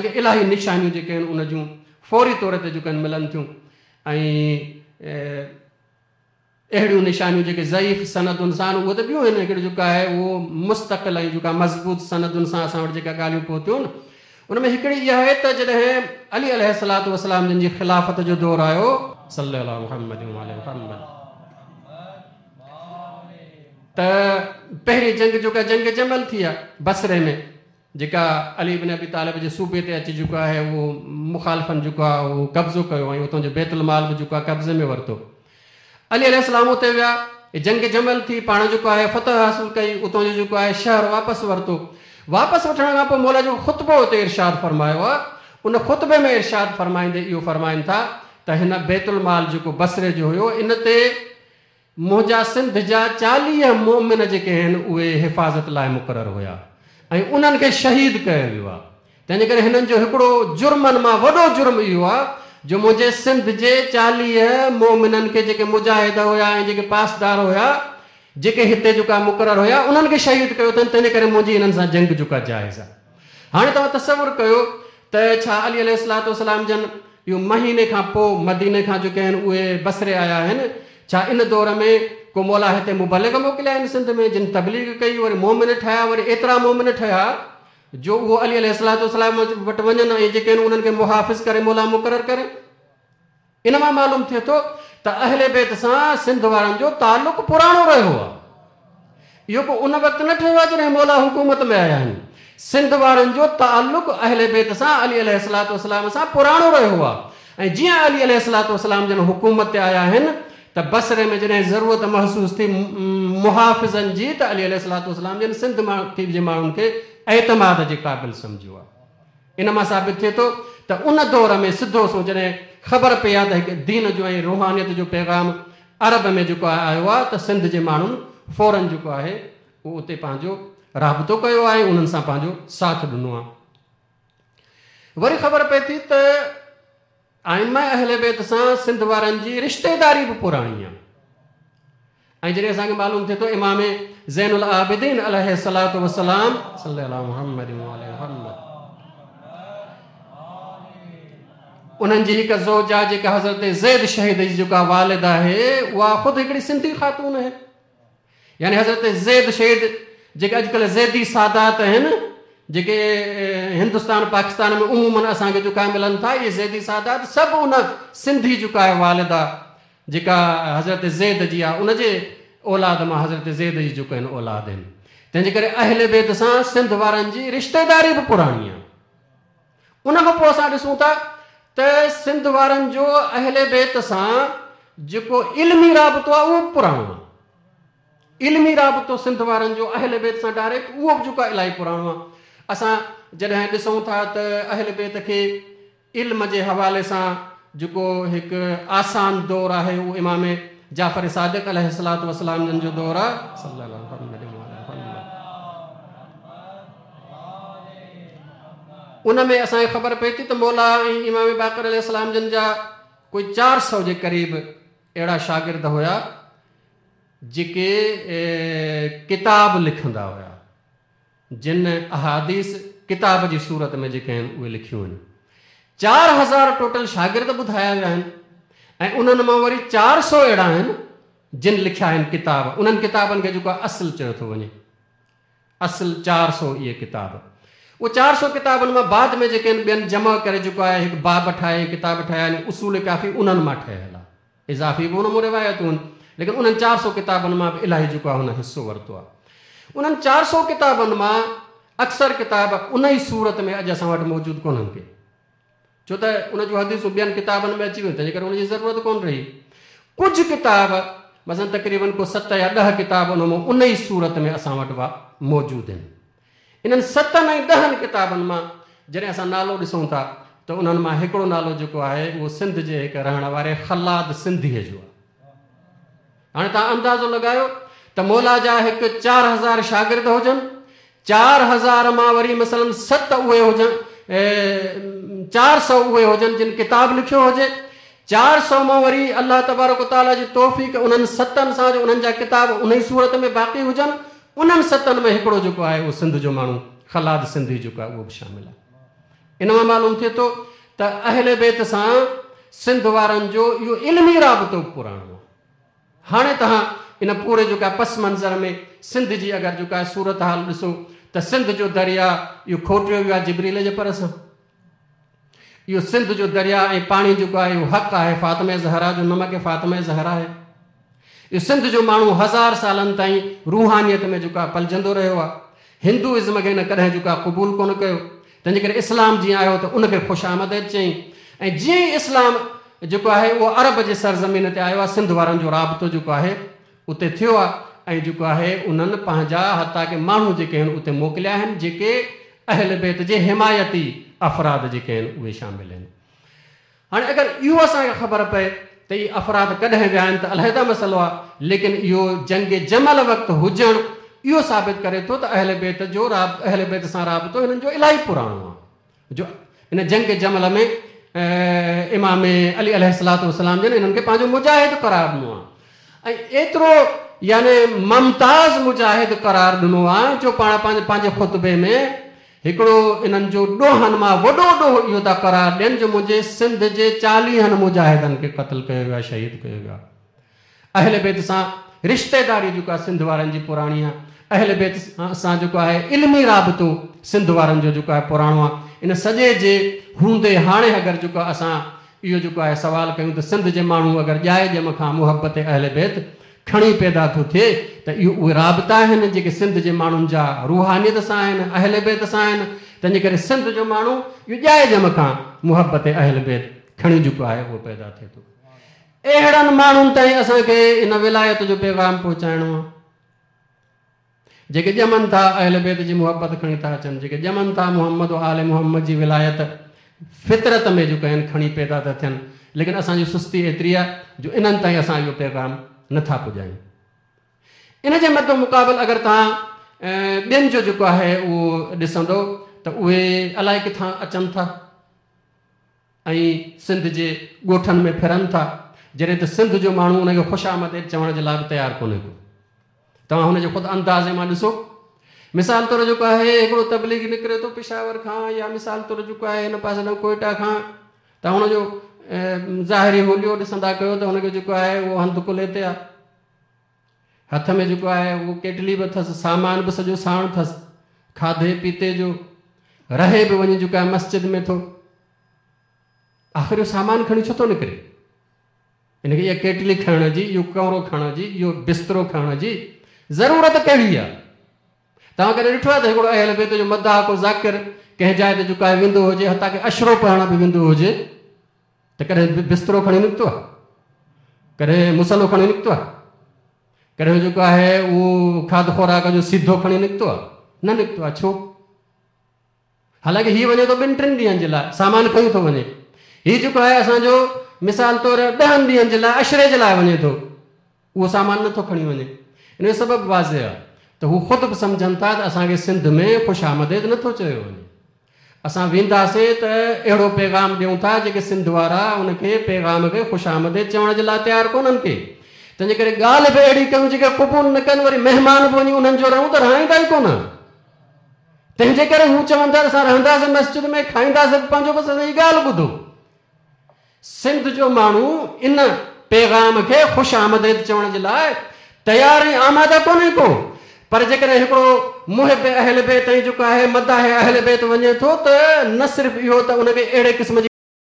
الاهي نشانيون جيڪي آهن ان جون فوري طور تي جيڪي آهن ملن ٿيون ۽ اهڙيون نشانيون جيڪي ضعيف سندن سان آهن اهي ته ٻيون آهن هڪڙي جيڪا آهي اهو مستقل ۽ جيڪا مضبوط سندن سان اسان وٽ جيڪا ڳالهيون پهتيون ان ۾ هڪڙي اها آهي ته جڏهن علي عليه الصلوة والسلام جن جي خلافت جو دور آيو صلي الله محمد وآل محمد ته پهرين جنگ جيڪا جنگ جمل ٿي آهي بصري ۾ جيڪا علي بن ابي طالب جي صوبي تي اچي جيڪو آهي اهو مخالفن جيڪو آهي اهو قبضو ڪيو ۽ اتان جو بيت المال به جيڪو آهي قبضي ۾ ورتو. علي عليه السلام اتي ويا، جنگ جمل ٿي، پاڻ جيڪو آهي فتح حاصل ڪئي، اتان جو جيڪو آهي شهر واپس ورتو. واپس وٺڻ کان پوء مولا جيڪو خطبو اتي ارشاد فرمايو آهي، ان خطبي ۾ ارشاد فرمائيندي اهو فرمائن ٿا ته هن بيت المال جيڪو بصري جو هيو ان تي منهنجا سنڌ جا 40 مؤمن جيڪي آهن اهي حفاظت لاء مقرر هيا ۽ انهن کي شهيد ڪيو ويو آهي تنهنجي ڪري هنن جو هڪڙو جرمن مان وڏو جرم اهو آهي جو منهنجي سنڌ جي 40 مؤمنن کي جيڪي مجاهد هيا ۽ جيڪي پاسدار هيا جيڪي هتي جيڪا مقرر هيا انهن کي شهيد ڪيو اٿن تنهنجي ڪري منهنجي انهن سان جنگ جيڪا جائز آهي. هاڻي توهان تصور ڪيو ته ڇا علي عليه الصلوة والسلام جن اهو مهيني کان پوء مديني کان جيڪي آهن اهي بصري آيا آهن، ڇا ان دور ۾ ڪو مولا هتي مبلغ موڪليا آهن سنڌ ۾ جن تبليغ ڪئي وري مؤمن ٺهيا وري ايترا مؤمن ٺهيا جو اهو علي عليه الصلوة والسلام وٽ وڃن ۽ جيڪي آهن انهن کي محافظ ڪري مولا مقرر ڪري. ان مان معلوم ٿئي ٿو ته اهل بيت سان سنڌ وارن جو تعلق پراڻو رهيو آهي. اهو ڪو ان وقت نه ٺهيو آهي جڏهن مولا حڪومت ۾ آيا آهن. سنڌ وارن جو تعلق اهل بيت سان علي عليه الصلوة والسلام سان پراڻو رهيو آهي ۽ جيئن علي عليه الصلوة والسلام جن حڪومت تي آيا آهن ته بصري ۾ جڏهن ضرورت محسوس ٿي محافظن جي ته علي عليه الصلوة والسلام جن سنڌ جي ماڻهن کي اعتماد جي قابل سمجهيو آهي. ان مان ثابت ٿئي ٿو ته ان دور ۾ سڌو سنئون جڏهن خبر پئي آهي ته هڪ دين جو ۽ روحانيت جو پيغام عرب ۾ جيڪو آهي آيو آهي ته سنڌ جي ماڻهن فورن جيڪو آهي اهو اتي پنهنجو رابطو ڪيو آهي ۽ انهن سان پنهنجو ساٿ ڏنو آهي. وري خبر پئي ٿي ته ائمه اهل بيت سان سنڌ وارن جي رشتيداري به پراڻي آهي ۽ جڏهن اسان کي معلوم ٿئي ٿو امام زين العابدين عليه الصلوة والسلام صلي الله محمد وآل محمد انهن جي هڪ زوجه جيڪا حضرت زيد شهيد جي جيڪا والده آهي اها خود هڪڙي سنڌي خاتون آهي يعني حضرت زيد شهيد جيڪي اڄڪلهه زيدي سادات آهن جيڪي هندستان پاڪستان ۾ عموماً اسان کي جيڪا ملن ٿا اهي زيدي سادات سڀ ان سنڌي جيڪا آهي والده جيڪا حضرت زيد جي آهي ان جي اولاد مان حضرت زيد جي جيڪو آهن اولاد آهن تنهن جي ڪري اهل بيت سان سنڌ وارن جي رشتيداري به پراڻي آهي ان کان پوء اسان ڏسون ٿا ته سنڌ وارن جو اهل بيت سان جيڪو علمي رابطو آهي اهو به پراڻو آهي. علمي رابطو سنڌ وارن جو اهل بيت سان ڊائريڪٽ اهو به جيڪو آهي الاهي پراڻو آهي. اسان جڏهن ڏسون ٿا ته اهل بيت کي علم جي حوالي سان جيڪو هڪ آسان دور آهي اهو امام جعفر صادق عليه الصلوة والسلام جن جو دور آهي. صلي الله محمد وآل محمد. ان ۾ اسان کي خبر پئي ٿي ته مولا ۽ امام باقر عليه السلام جن جا ڪوئي 400 جي قريب اهڙا شاگرد هيا جيڪي ڪتاب لکندا هيا جن احاديث ڪتاب جي صورت ۾ جيڪي آهن اهي لکيون آهن. 4000 ٽوٽل شاگرد ٻڌايا ويا آهن ۽ انهن مان وري 400 اهڙا آهن جن لکيا آهن ڪتاب انهن ڪتابن کي جيڪو آهي اصل چيو ٿو وڃي. اصل 400 اهي ڪتاب. اهي 400 ڪتابن مان بعد ۾ جيڪي آهن ٻين جمع ڪري جيڪو آهي هڪ باب ٺاهي ۽ ڪتاب ٺاهيا آهن اصول ڪافي انهن مان ٺهيل آهي. اضافي به ان مان روايتون آهن ليڪن انهن 400 ڪتابن مان به الاهي جيڪو آهي هن حصو ورتو آهي. انهن 400 ڪتابن مان اڪثر ڪتاب ان ئي صورت ۾ اڄ اسان وٽ موجود ڪونهن ڪي. ڇو ته ان جون حديثون ٻين ڪتابن ۾ اچي ويون تنهنجي ڪري ان جي ضرورت ڪونه رهي. ڪجهه ڪتاب مثلاً تقريباً ڪو ست يا 10 ڪتاب ان مان ان ئي صورت ۾ اسان وٽ موجود آهن. انهن ستن ۽ 10 ڪتابن مان جڏهن اسان نالو ڏسون ٿا ته انهن مان هڪڙو نالو جيڪو آهي اهو سنڌ جي هڪ رهڻ واري خلاد سنڌيء جو آهي. هاڻي توهان اندازو لڳايو ته مولا جا هڪ 4000 شاگرد هجن، 4000 مان وري مثلاً ست اهي هجن، 400 اهي هجن جن ڪتاب لکيو هجي، 400 مان وري الله تبارڪ و تعاليٰ جي توفيق انهن ستن سان جو انهن جا ڪتاب انهي صورت ۾ باقي هجن، انهن ستن ۾ هڪڙو جيڪو آهي اهو سنڌ جو ماڻهو خلاد سنڌي جيڪو آهي اهو به شامل آهي. ان مان معلوم ٿئي ٿو ته اهل بيت سان سنڌ وارن جو اهو علمي رابطو به پراڻو آهي. هاڻي توهان ان پوري جيڪا پس منظر ۾ سنڌ جي اگر جيڪا صورتحال ڏسو ته سنڌ جو درياء اهو کوٽيو ويو آهي جبريل جي پر سان. اهو سنڌ جو درياء ۽ پاڻي جيڪو آهي اهو حق آهي فاطمه زهرا جو نمڪ فاطمه زهرا آهي. اهو سنڌ جو ماڻهو هزار سالن تائين روحانيت ۾ جيڪو آهي پلجندو رهيو آهي. هندو ازم کي هن ڪڏهن جيڪو آهي قبول ڪونه ڪيو. تنهنجي ڪري اسلام جيئن آيو ته ان کي خوش آمديد چيائين ۽ جيئن ئي اسلام جيڪو آهي اهو عرب جي سرزمين تي آيو آهي سنڌ وارن جو رابطو جيڪو آهي اتي ٿيو آهي ۽ جيڪو آهي انهن پنهنجا حتيٰ ڪه ماڻهو جيڪي آهن اتي موڪليا آهن جيڪي اهل بيت جي حمايتي افراد جيڪي آهن اهي شامل آهن. هاڻي اگر اهو اسان کي خبر پئي ته اهي افراد ڪڏهن ويا آهن ته علحده مسئلو آهي، ليڪن اهو جنگ جمل وقت هجڻ اهو ثابت ڪري ٿو ته اهل بيت جو اهل بيت سان رابطو هنن جو الاهي پراڻو آهي جو ان جنگ جمل ۾ امام علي عليه الصلوة والسلام جن انهن کي پنهنجو مجاهد قرار ڏنو آهي ۽ ايترو يعني ممتاز مجاهد قرار ڏنو آهي جو پاڻ پنهنجي خطبي ۾ هڪڙو انهن جو ڏوهن مان وڏو ڏوهه اهو ٿا قرار ڏين جو منهنجي سنڌ جي چاليهن مجاهدن کي قتل ڪيو ويو آهي شهيد ڪيو ويو آهي. اهل بيت سان رشتيداري جيڪا سنڌ وارن جي پراڻي آهي اهل بيت سان جيڪو آهي علمي رابطو سنڌ وارن جو جيڪو آهي پراڻو آهي ان سڄي جي هوندي هاڻي اگر جيڪو اسان اهو جيڪو آهي سوال ڪيون ته سنڌ جي ماڻهو اگر ڄائي ڄم کان محبت اهل بيت کڻي پيدا ٿو ٿئي ته اهو اهي رابطا آهن جيڪي سنڌ جي ماڻهن جا روحانيت سان آهن، اهل بيت سان آهن، تنهنجي ڪري سنڌ جو ماڻهو اهو ڄائي ڄم کان محبت اهل بيت کڻي جيڪو آهي اهو پيدا ٿئي ٿو. اهڙن ماڻهن تائين اسان کي ان ولايت جو پيغام پهچائڻو آهي. جيڪي ڄمن ٿا اهل بيت جي محبت کڻي ٿا اچن، جيڪي ڄمن ٿا محمد و آل محمد جي ولايت فطرت ۾ جيڪو آهن کڻي پيدا ٿا ٿين، ليڪن اسان جي سستي ايتري آهي جو انهن تائين اسان اهو پيغام نه ٿا پڄايون. ان جي مد مقابل اگر توهان ٻين جو جيڪو آهي اهو ڏسندو ته اهي الائي ڪٿان اچن ٿا. ۽ سنڌ جي ڳوٺن ۾ ڦرن ٿا، جڏهن ته سنڌ جو ماڻهو ان کي خوش آمديد چوڻ جي لاء به تيار ڪونهي ڪو. توهان هن جي خود اندازي مان ڏسو. مثال طور جيڪو آهي هڪڙو تبليغي نڪري ٿو پشاور کان يا مثال طور جيڪو آهي هن پاسي ڏانهن ڪوئيٽا کان توهان هن جو ظاهري حليو ڏسندا ڪيو ته هن کي جيڪو آهي اهو هنڌ ڪلهي تي آهي. هٿ ۾ جيڪو آهي اهو ڪيٽلي به اٿس، سامان به سڄو ساڻ اٿس، کاڌي پيتي جو، رهي به وڃي جيڪو آهي مسجد ۾ ٿو. آخر اهو سامان کڻي ڇو ٿو نڪري؟ ان کي اها ڪيٽلي کڻڻ جي، اهو ڪمرو کڻڻ جي، اهو بسترو کڻڻ جي ضرورت ڪهڙي آهي؟ توهان ڪڏهن ڏٺو آهي ته هڪڙو اهل بيت جو مداح ڪو ذاڪر ڪنهن جاء تي جيڪو آهي ويندو هجي، حتيٰ ڪه عشرو پڙهڻ به ويندو هجي ته ڪڏهن بسترو کڻي نڪتو آهي؟ ڪڏهن مصلو کڻي نڪتو آهي؟ ڪڏهن جيڪو آهي اهو کاڌ خوراڪ جو سيڌو کڻي نڪتو آهي؟ نه نڪتو آهي، ڇو؟ حالانڪه هي وڃي ٿو ٻن ٽن ڏينهن جي لاء سامان کڻي ٿو وڃي. هي جيڪو آهي اسان جو مثال طور ڏهن ڏينهن جي لاء عشري جي لاء وڃي ٿو اهو سامان نٿو کڻي وڃي. ان جو سبب واضح آهي ته هو خود به سمجهن ٿا ته اسان کي سنڌ ۾ خوش آمديد نٿو چيو وڃي. اسان وينداسين ته اهڙو پيغام ڏيون ٿا جيڪي سنڌ وارا ان کي پيغام کي خوش آمديد چوڻ جي لاء تيار ڪونهن ڪي. تنهنجي ڪري ڳالهه به اهڙي ڪيون جيڪي قبول نه ڪن وري مهمان به وڃي انهن جو رهون ته رهائيندا ئي ڪونه. تنهن جي ڪري هو چون ٿا ته اسان رهنداسين مسجد ۾ کائينداسين به پنهنجو بس اسان جي ڳالهه ٻڌو. سنڌ جو ماڻهو ان پيغام کي خوش آمديد چوڻ جي لاء تيار ۽ آماده ڪونهي ڪو پر جيڪڏهن هڪڙو محب اهل بيت ۽ جيڪو آهي مداح اهل بيت وڃي ٿو ته نه صرف اهو ته ان کي اهڙي قسم جي.